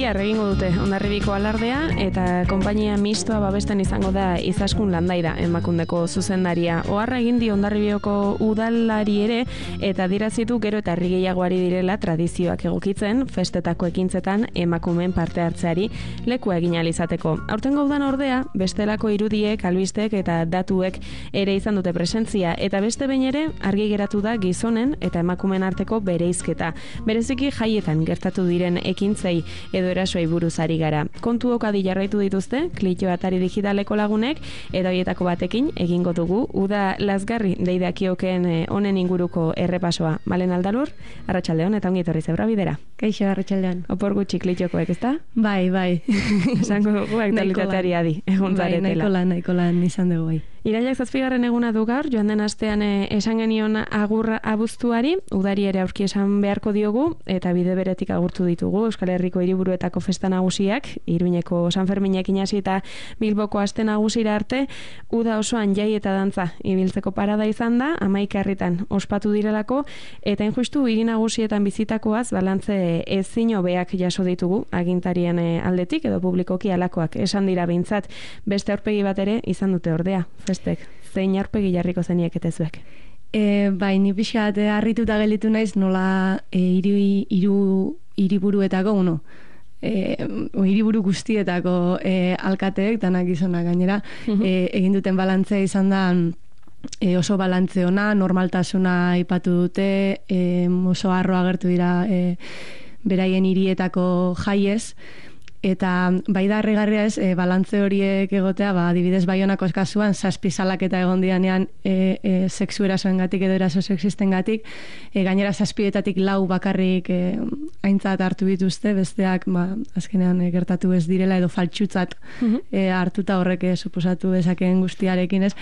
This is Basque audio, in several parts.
Bihar egingo dute Hondarribiko alardea eta konpainia mistoa babesten izango da Izaskun Landaida emakundeko zuzendaria. Oharra egin di Hondarribioko udalari ere eta dirazitu gero eta herri gehiagoari direla tradizioak egokitzen festetako ekintzetan emakumeen parte hartzeari lekua egin ahal izateko. Aurtengo udan ordea bestelako irudiek, albistek eta datuek ere izan dute presentzia eta beste behin ere argi geratu da gizonen eta emakumeen arteko bereizketa. Bereziki jaietan gertatu diren ekintzei edo erasoei buruz ari gara. Kontuok adi jarraitu dituzte, Klito Atari Digitaleko lagunek, eta horietako batekin egingo dugu, uda lazgarri deidakiokeen honen inguruko errepasoa. Malen Aldalur, arratsaldeon eta ongi etorri zebra bidera. Kaixo, arratsaldeon. Opor gutxi Klitxokoek, ezta? Bai. Esango dugu aktualitateari adi, egun zaretela. Nahiko lan izan dugu bai. Irailak 7. eguna du gaur, joan den astean esan genion agurra abuztuari, udari ere aurki esan beharko diogu, eta bide beretik agurtu ditugu Euskal Herriko hiriburuetako festa nagusiak, Iruñeko San Ferminekin hasi eta Bilboko aste nagusira arte, uda osoan jai eta dantza ibiltzeko parada izan da, 11 herritan ospatu direlako, eta injustu hiri nagusietan bizitakoaz balantze ezin hobeak jaso ditugu, agintarien aldetik edo publikoki alakoak esan dira behintzat, beste aurpegi bat ere izan dute ordea. Festek, zein aurpegi jarriko zeniek eta zuek? Bai, ni pixkat harrituta gelditu naiz nola hiriburuetako, hiriburu guztietako alkateek, danak gizonak gainera, egin duten balantzea izan da oso balantze ona, normaltasuna aipatu dute, oso harro agertu dira beraien hirietako jaiez, eta bai da harrigarria ez, balantze horiek egotea, adibidez Baionako kasuan 7 salaketa egon dianean sexu erasoengatik edo eraso sexistengatik, gainera 7etatik 4 bakarrik aintzat hartu dituzte, besteak azkenean gertatu ez direla edo faltsutzat hartuta horrek suposatu dezakeen guztiarekin ez.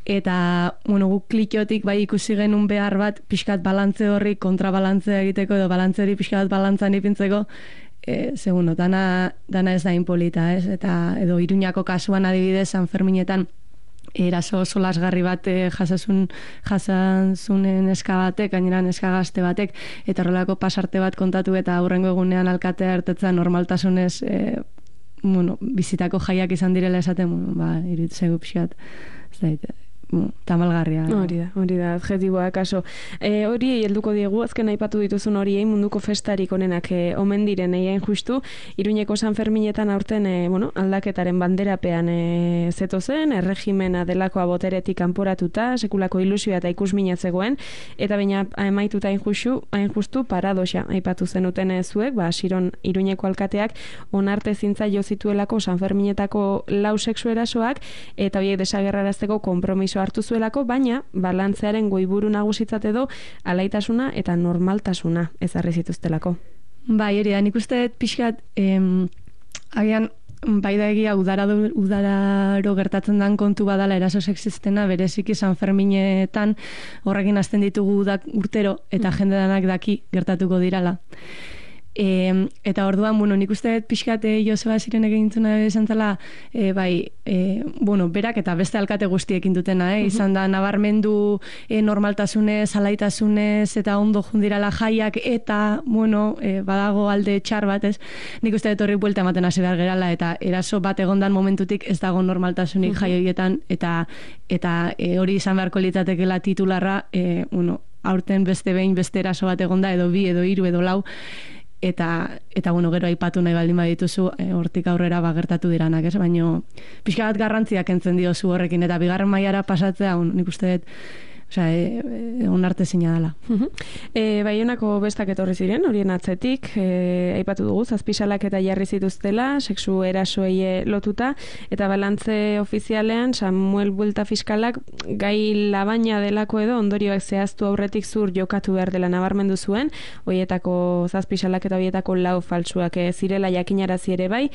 Eta, guk Klitotik bai ikusi genuen behar bat, pixkat balantze horri kontrabalantzea egiteko edo balantze hori pixkat balantzan ipintzeko, segundo, dana ez da inpolita, ez? Eta edo Iruñako kasuan adibidez San Ferminetan eraso oso lasgarri bat jasan zunen neska batek, gainera neska gazte batek, eta horrelako pasarte bat kontatu eta aurrengo egunean alkatea ertetzen normaltasunez bizitako jaiak izan direla esaten, iruditzegu pixkat, ez da, tamalgarria. Hori da, adjetiboa kaso. Hori helduko diegu, azken aipatu dituzun horiei munduko festarik onenak omen diren egin justu, Iruñeko San Ferminetan aurten aldaketaren banderapean zeto zen, erregimena delakoa boteretik kanporatuta, sekulako ilusioa eta ikusmina zegoen, eta baina amaituta hain justu paradoxa aipatu zenuten zuek, Siron Iruñeko alkateak onarte zintza jo zituelako San Ferminetako 4 sexu erasoak, eta horiek desagerrarazteko konpromiso hartu zuelako, baina balantzearen goiburu nagusitzat edo alaitasuna eta normaltasuna ezarri zituztelako. Bai, hori da, nik uste pixkat agian bai da egia udararo gertatzen dan kontu badala eraso sexistena, bereziki San Ferminetan horrekin hasten ditugu urtero eta jende danak daki gertatuko dirala. Eta orduan, nik uste pixkat Joseba Zirenek egintzuna esan zela, berak eta beste alkate guztiekin dutena, izan da nabarmendu normaltasunez, alaitasunez eta ondo jundirala jaiak eta, badago alde txar bat, ez? Nik uste horri buelta ematen hasi behar gerala eta eraso bat egondan momentutik ez dago normaltasunik jai horietan eta hori izan beharko litzatekela titularra, aurten beste behin beste eraso bat egonda edo 2 edo 3 edo 4 eta gero aipatu nahi baldin badituzu hortik aurrera gertatu diranak, ez? Baina pixka bat garrantziak kentzen diozu horrekin eta 2. mailara pasatzea, nik uste dut onarte zina dela. Baionako bestak etorri ziren, horien atzetik, aipatu dugu, 7 salaketa jarri zituztela, sexu erasoei lotuta, eta balantze ofizialean Samuel Buelta fiskalak gai labaina delako edo ondorioak zehaztu aurretik zur jokatu behar dela nabarmendu zuen, horietako 7 salaketa horietako 4 faltsuak zirela jakinarazi ere bai,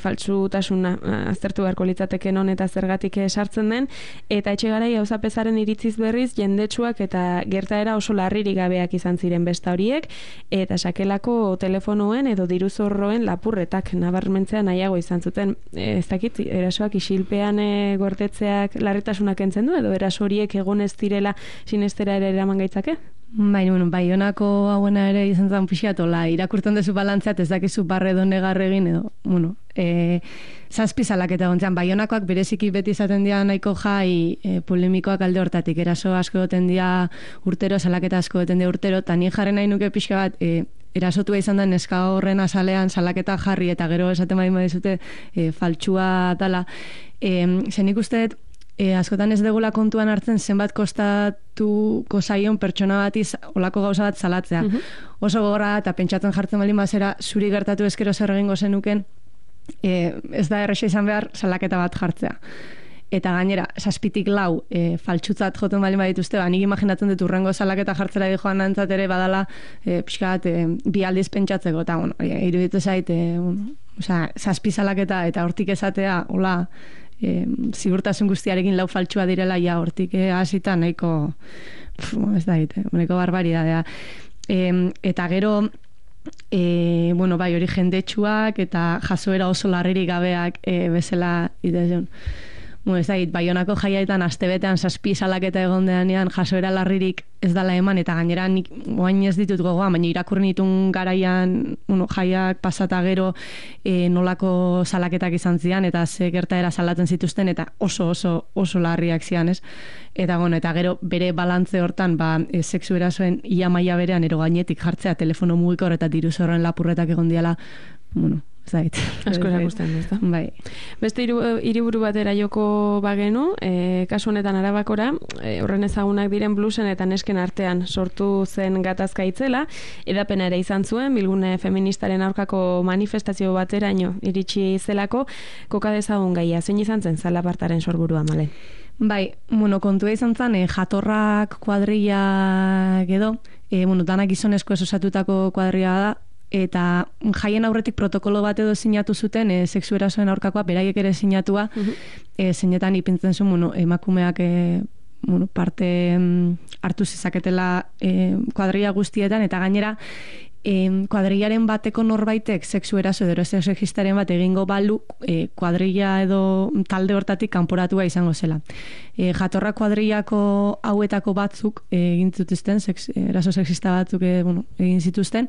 faltsutasuna aztertu beharko litzateke non eta zergatik sartzen den, eta Etxegarai auzapezaren iritziz berriz jendetsuak eta gertaera oso larririk gabeak izan ziren besta horiek, eta sakelako telefonoen edo diruzorroen lapurretak nabarmentzea nahiago izan zuten. Ez dakit, erasoak isilpean gortetzeak larritasunak entzen du, edo eraso horiek egon ez direla sinestera ere eraman gaitzake? Baionako hauena ere izan zen pixatola, irakurtzen dezu balantzeat ez dakizu barre edo negar egin edo, zazpi salaketa gontzen. Baionakoak bereziki beti izaten dira nahiko jai polemikoak alde hortatik, eraso asko goten dira urtero, salaketa asko goten dira urtero, eta ni jarren nahi nuke pixka bat, erasotua izan da neska horren azalean salaketa jarri eta gero esaten badizute faltsua dala. Zenik usteet, askotan ez degula kontuan hartzen zenbat kostatuko zaion pertsona bati olako gauza bat salatzea. Oso gogorra eta pentsatzen jartzen baldin bazera zuri gertatu ezkero zer egingo zenuken, ez da erresa izan behar salaketa bat jartzea. Eta gainera, 7-4 faltsutzat joten baldin badituzte, nik imaginatzen dut urrengo salaketa jartzera di joan nantzat ere badala pixka bat bi aldiz pentsatzeko, eta iruditu zait, 7 salaketa eta hortik esatea, hola, ziurtasun guztiarekin lau faltsua direla, ja hortik hasita nahiko ez da nahiko barbaridadea. Eta gero hori jendetsuak eta jasoera oso larririk gabeak bezala itezen. Ez da, Baionako jaiaetan astebetean 7 salaketa egondeanean jasoera larririk ez dala eman, eta gainera nik oain ez ditut gogoa, baina irakurri nitun garaian jaiak pasata gero nolako salaketak izan zian, eta ze gertaera salatzen zituzten, eta oso larriak zian, ez? Eta gero bere balantze hortan, sexu erasoen ia maila berean ero gainetik jartzea telefono mugikor eta diru zorren lapurretak egon diala, zait. Asko erakusten, ez da? Bai. Beste hiriburu batera joko bagenu, kasu honetan Arabakora, horren ezagunak diren bluesen eta nesken artean sortu zen gatazka itzela, edapena ere izan zuen, bilgune feministaren aurkako manifestazio bateraino iritsi zelako, koka dezagun gaia, zein izan zen zalapartaren sorburua, Malen? Bai, kontua izan zen, jatorrak kuadrilla edo, danak gizonezko osatutako kuadrilla da, eta jaien aurretik protokolo bat edo sinatu zuten sexu erasoen aurkakoa beraiek ere sinatua, zeinetan ipintzen zuen emakumeak parte hartu zezaketela kuadrilla guztietan, eta gainera kuadrillaren bateko norbaitek sexu eraso edo sexistaren bat egingo balu kuadrilla edo talde hortatik kanporatua izango zela. Jatorra kuadrillako hauetako batzuk egin zituzten, eraso sexista batzuk egin zituzten,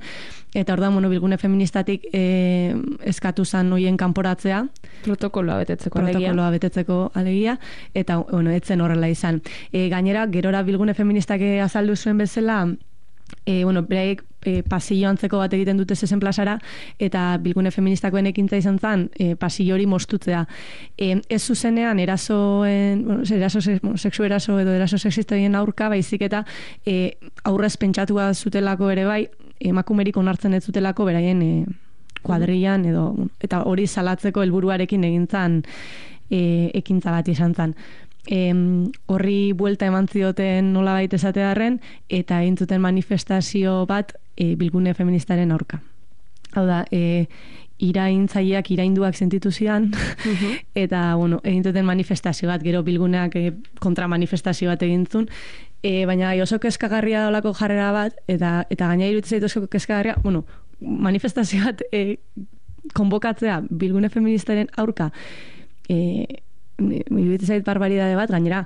eta orduan bilgune feministatik eskatu zan hoien kanporatzea. Protokoloa betetzeko alegia, eta etzen horrela izan. Gainera, gerora bilgune feministak azaldu zuen bezala, beraiek pasillo antzeko bat egiten dute zezen plazara, eta bilgune feministakoen ekintza izan zen pasillo hori mostutzea. Ez zuzenean sexu eraso edo eraso sexistaren aurka, baizik eta aurrez pentsatua zutelako ere bai, emakumerik onartzen ez zutelako beraien kuadrillan edo, eta hori salatzeko helburuarekin egintzan ekintza bat izan zen. Horri buelta eman zioten nolabait esatearren, eta egin zuten manifestazio bat bilgune feministaren aurka. Hau da, iraintzaileak irainduak sentitu zidan, eta egin zuten manifestazio bat, gero bilguneak kontramanifestazio bat egin zuen, baina oso kezkagarria daulako jarrera bat, eta gaina iruditzen zaitu oso kezkagarria, manifestazio bat konbokatzea bilgune feministaren aurka, iruditzen zait barbaridade bat, gainera,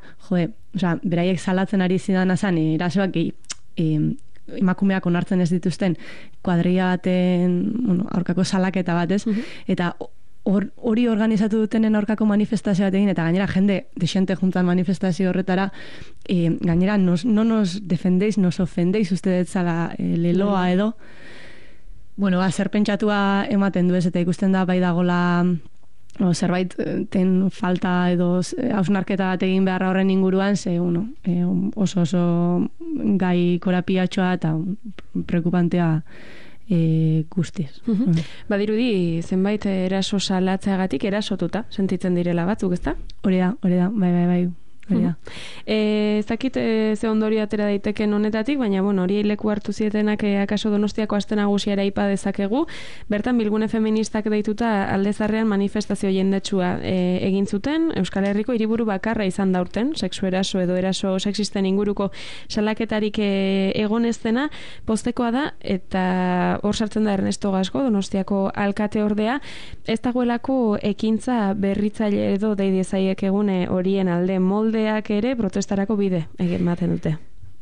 beraiek salatzen ari zidan azan, erasoak emakumeak onartzen ez dituzten kuadrilla baten aurkako salaketa bat, ez? Eta hori organizatu dutenen aurkako manifestazio bat egin, eta gainera jende desente juntan manifestazio horretara, gainera no nos defendéis, nos ofendéis ustedes zala leloa edo, zer pentsatua ematen du ez, eta ikusten da bai dagola zerbait ten falta edo hausnarketa bat egin beharra horren inguruan, ze oso gai korapiatxoa eta preocupantea guztiz. Badirudi, zenbait eraso salatzeagatik erasotuta sentitzen direla batzuk, ezta? Hori da, bai. Zakit ze ondorio atera daiteken honetatik, baina hori leku hartu zietenak akaso Donostiako aste nagusiara aipa dezakegu. Bertan bilgune feministak deituta aldezarrean manifestazio jendetsua egin zuten. Euskal Herriko hiriburu bakarra izan da urten, sexu eraso edo eraso sexisten inguruko salaketarik egon ez dena, postekoa da, eta hor sartzen da Ernesto Gasco, Donostiako alkate ordea, ez dagoelako ekintza berritzaile edo deidezaiek egune horien alde moldeak ere protestarako bide ematen dute.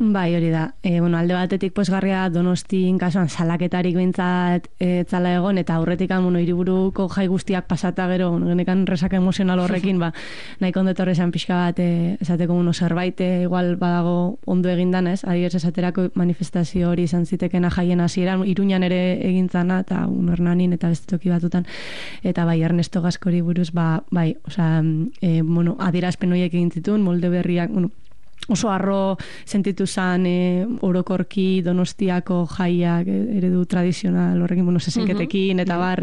Bai, hori da. Alde batetik posgarria Donostin kasuan salaketarik behintzat etzala egon, eta aurretik hiriburuko jai guztiak pasata gero, genekan resaka emozional horrekin, nahi kondetorre esan pixka bat esateko zerbait igual badago ondo egindan, ez? Adibidez esaterako manifestazio hori izan zitekena jaien hasieran, Iruñan ere egintzana, eta Hernanin eta beste toki batutan, eta bai, Ernesto Gaskori buruz, bai, adierazpen horiek egin zituen, molde berriak, oso harro sentitu zen orokorki Donostiako jaiak eredu tradizional horrekin, zezenketekin eta bar,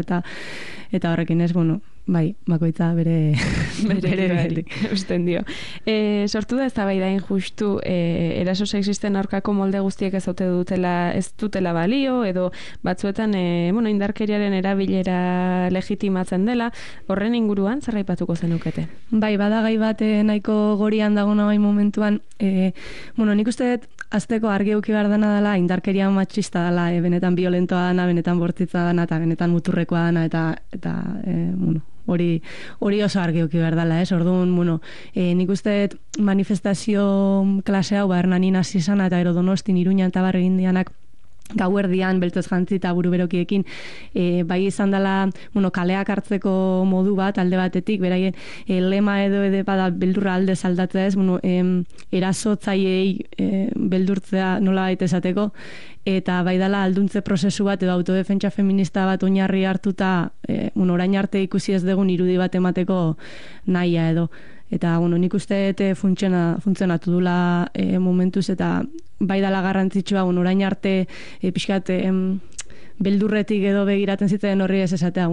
eta horrekin ez, bai, bakoitza bere usten dio. Sortu da eztabaidain justu eraso sexisten aurkako molde guztiek ez dutela balio, edo batzuetan indarkeriaren erabilera legitimatzen dela, horren inguruan zer aipatuko zenukete? Bai, bada gai bat nahiko gorian dagona bai momentuan, nik uste dut azteko argi euki behar dena dela, indarkeria matxista dela, benetan violentoa dana, benetan bortitza dana, eta benetan muturrekoa dana, eta hori oso argi euki behar dela, ez? Orduan, nik uste dut manifestazio klase hau, Hernanin hasi izana, eta Donostin, Iruñan eta barri indianak, gauerdian, beltoz jantzi eta buruberokiekin, bai izan dela, kaleak hartzeko modu bat, alde batetik, beraien lema edo bada beldurra alde saldatzea ez, erasotzaiei beldurtzea nola baita esateko, eta bai dela alduntze prozesu bat edo autodefentsa feminista bat oinarri hartuta, orain arte ikusi ez dugun irudi bat emateko nahia edo. Eta, nik uste funtzionatu dula momentuz, eta bai dala garrantzitsua, orain arte pixkat beldurretik edo begiratzen zitzen horri ez esatea,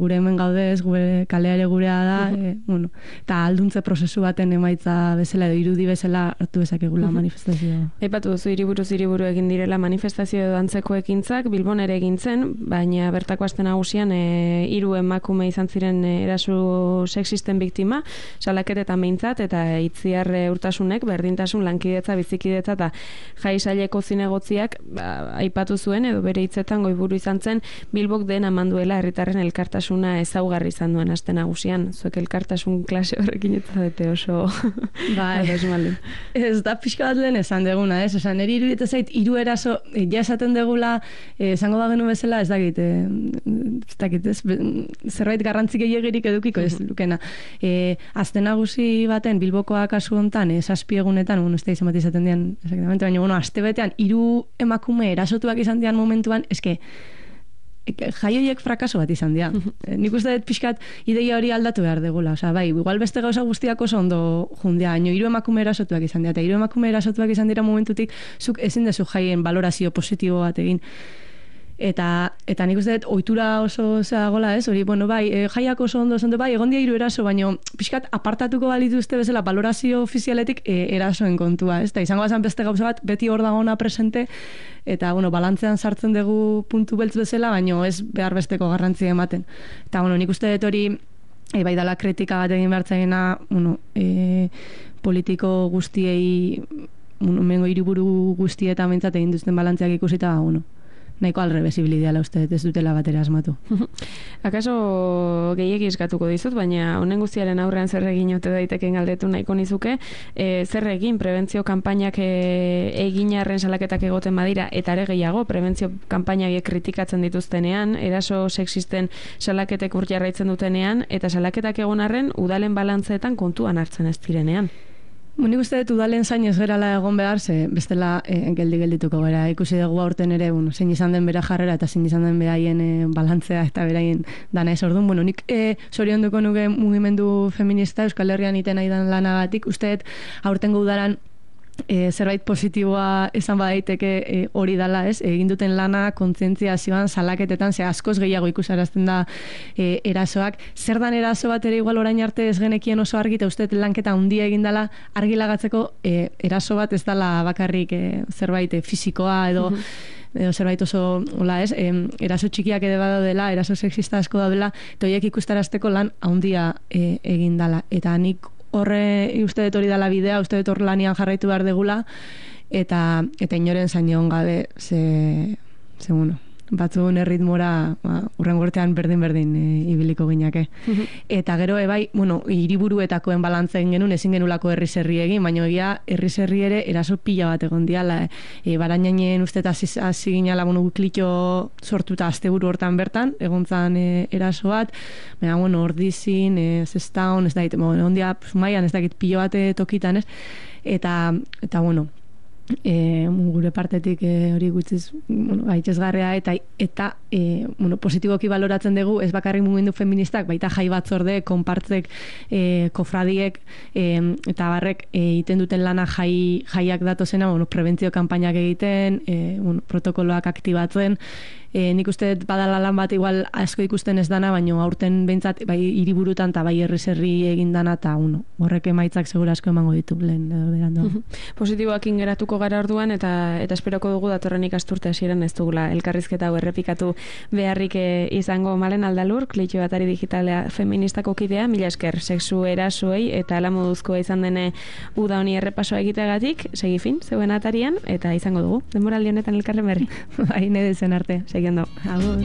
gure hemen gaude ez, gure kaleare gurea da, eta alduntze prozesu baten emaitza bezala edo irudi bezala hartu bezakegula manifestazioa. Aipatu duzu hiriburu egin direla manifestazio edo antzeko ekintzak, Bilbon ere egin zen, baina bertako aste nagusian 3 emakume izan ziren eraso sexisten biktima, salaketetan behintzat, eta Itziar Urtasunek berdintasun lankidetza, bizikidetza eta jai saileko zinegotziak aipatu zuen edo bere hitzetan buru izan zen, Bilbok dena manduela herritarren elkartasuna ezaugarri izan duen aste nagusian. Zuek elkartasun klase horrekin ez zaudete oso ez da pixka bat lehen esan deguna, ez? Osa, niri iruditzen zait, 3 eraso, ja esaten degula, esango da genu bezala, ez dakit, zerbait garrantzik egirik edukiko ez lukena. Aste nagusi baten, Bilbokoa kasu hontan, 7 egunetan, ez da izan bat izaten dian, baina, aste betean, 3 emakume erasotuak izan dian momentuan, eske, jaioiek frakaso bat izan dira. Nik uste dut pixkat ideia hori aldatu behar degula. Osa, bai, igual beste gauza guztiak oso ondo jundia, haino 3 emakume erasotuak izan dira, eta 3 emakume erasotuak izan dira momentutik, zuk ezin dezu jaien valorazio positibo bat egin. Eta nik uste dut ohitura oso zeagola, ez? Hori, bai, jaiak oso ondo, bai, egon dia 3 eraso, baina pixkat apartatuko balituzte bezala valorazio ofizialetik erasoen kontua, ez? Eta izango bazan beste gauza bat, beti hor dagona presente, eta, balantzean sartzen dugu puntu beltz bezala, baina ez behar besteko garrantzia ematen. Eta, nik uste dut hori, bai dala kritika bat egin behartzaiena, politiko guztiei, mengo hiriburu guztietan mentzat egin duzten balantziak ikusita, nahiko alrebesibilideala uste, ez dutela batera asmatu. Akaso gehiegi eskatuko dizut, baina honen guztiaren aurrean zer egin ote daiteken galdetu nahiko nizuke, zer egin prebentzio kanpainak eginarren salaketak egoten badira, eta ere gehiago, prebentzio kanpainak kritikatzen dituztenean, eraso sexisten salaketek ur jarraitzen dutenean, eta salaketak egon arren, udalen balantzeetan kontuan hartzen ez direnean. Nik uste dut udalen zain ez gerala egon behar, ze bestela geldituko gara. Ikusi dugu aurten ere, zein izan den bera jarrera eta zein izan den beraien balantzea eta beraien dana ez orduan. Nik zorionduko nuke mugimendu feminista Euskal Herrian iten nahi dan lanagatik. Uste dut aurtengo udaran zerbait positiboa esan badaiteke hori dala, ez? Egin duten lana kontzientziazioan, salaketetan, ze askoz gehiago ikusarazten da erasoak. Zer dan eraso bat ere igual orain arte ez genekien oso argi, eta uste lanketa handia egin dala argilagatzeko eraso bat ez dala bakarrik zerbait fisikoa edo zerbait oso, hola ez, eraso txikiak ere badaudela, eraso sexista asko daudela, eta horiek ikustarazteko lan handia egin dala. Eta nik uste dut hori dala bidea, uste dut hor lanian jarraitu behar degula, eta inoren zain egon gabe, batzuen erritmora urrengo urtean berdin ibiliko ginake. Eta gero bai, hiriburuetakoen balantzen genuen ezin genulako herri-zerri egin, baina egia herri-zerri ere eraso pila bat egon diala. Baranainen uste eta hasi ginala klitxo sortuta asteburu hortan bertan, egontzan eraso bat, baina Ordizin, Zestaon, ez dakit, ondia Maian ez dakit pilo bat tokitan, ez? Eta gure partetik hori gutxiz gaitxezgarria eta positiboki baloratzen dugu ez bakarrik mugimendu feministak, baita jai batzorde, konpartzek, kofradiek eta barrek egiten duten lana jaiak datozena, prebentzio kanpainak egiten, protokoloak aktibatzen. Nik uste badala lan bat igual asko ikusten ez dana, baina aurten behintzat bai hiriburutan eta bai herri egin dana, eta horrek emaitzak segura asko emango ditu lehen berandu. Positiboak ingeratuko gara orduan, eta esperoko dugu datorren ikasturte hasieran ez dugula elkarrizketa hau errepikatu beharrik izango. Malen Aldalur, Klitxo Atari Digitala feministako kidea, mila esker sexu erasoei eta ala moduzkoa izan dene uda honi errepasoa egiteagatik, segi fin, zeuen atarian, eta izango dugu. Denboraldi honetan elkarren berri. Bai, nede zen arte. Seguindo. Agur.